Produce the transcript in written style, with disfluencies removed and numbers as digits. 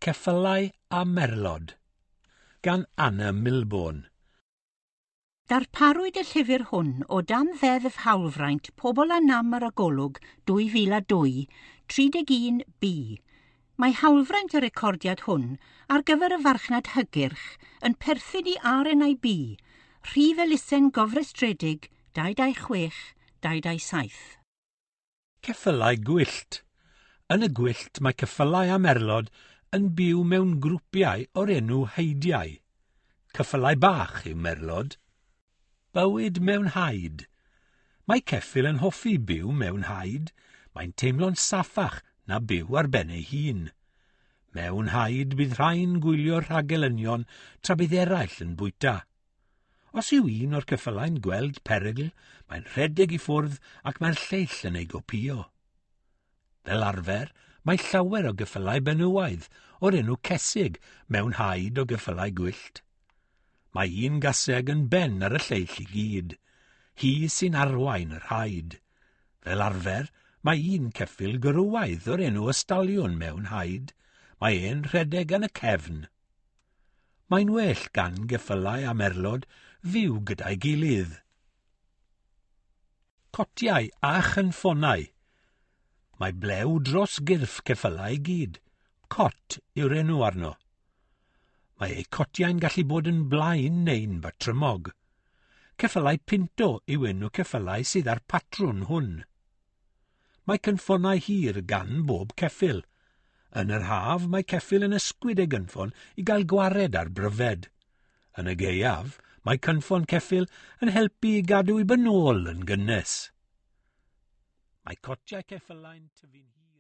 Ceffylau a Merlod gan Anna Milbourne. Darparwyd y llyfr hwn o dan Ddeddf Hawlfraint Pobl â Nam ar y Golwg 2002, 31B. Mae hawlfraint y recordiad hwn ar gyfer y farchnad hygyrch yn perthyn i RNIB, rhif elusen gofrestredig 226 227. Ceffylau gwyllt. Yn y gwyllt mae ceffylau a merlod yn byw mewn grwpiau o'r enw heidiau. Ceffylau bach yw merlod. Bywyd mewn haid. Mae ceffyl yn hoffi byw mewn haid. Mae'n teimlo'n saffach na byw ar ben ei hun. Mewn haid bydd rhai'n gwylio'r rhagelynion tra bydd eraill yn bwyta. Os yw un o'r ceffylau'n gweld perygl, mae'n rhedeg i ffwrdd ac mae'r lleill yn ei gopïo. Fel arfer, mae llawer o geffylau benywaidd o'r enw cesig mewn haid o geffylau gwyllt. Mae un gaseg yn ben ar y lleill i gyd. Hi sy'n arwain yr haid. Fel arfer, mae un ceffyl gwrywaidd o'r enw ystaliwn mewn haid. Mae e'n rhedeg yn y cefn. Mae'n well gan geffylau a merlod fyw gyda'i gilydd. Cotiau a chynffonau. Mae blew dros gyrff ceffylau i gyd. Cot yw'r enw arno. Mae eu cotiau'n gallu bod yn blaen neu'n batrymog. Ceffylau pinto yw enw ceffylau sydd â'r patrwn hwn. Mae cynffonau hir gan bob ceffyl. Yn yr haf, mae ceffyl yn ysgwyd ei gynffon i gael gwared ar bryfed. Yn y gaeaf, mae cynffon ceffyl yn helpu i gadw ei benôl yn gynnes. Mae cotiau ceffylau'n tyfu'n hir.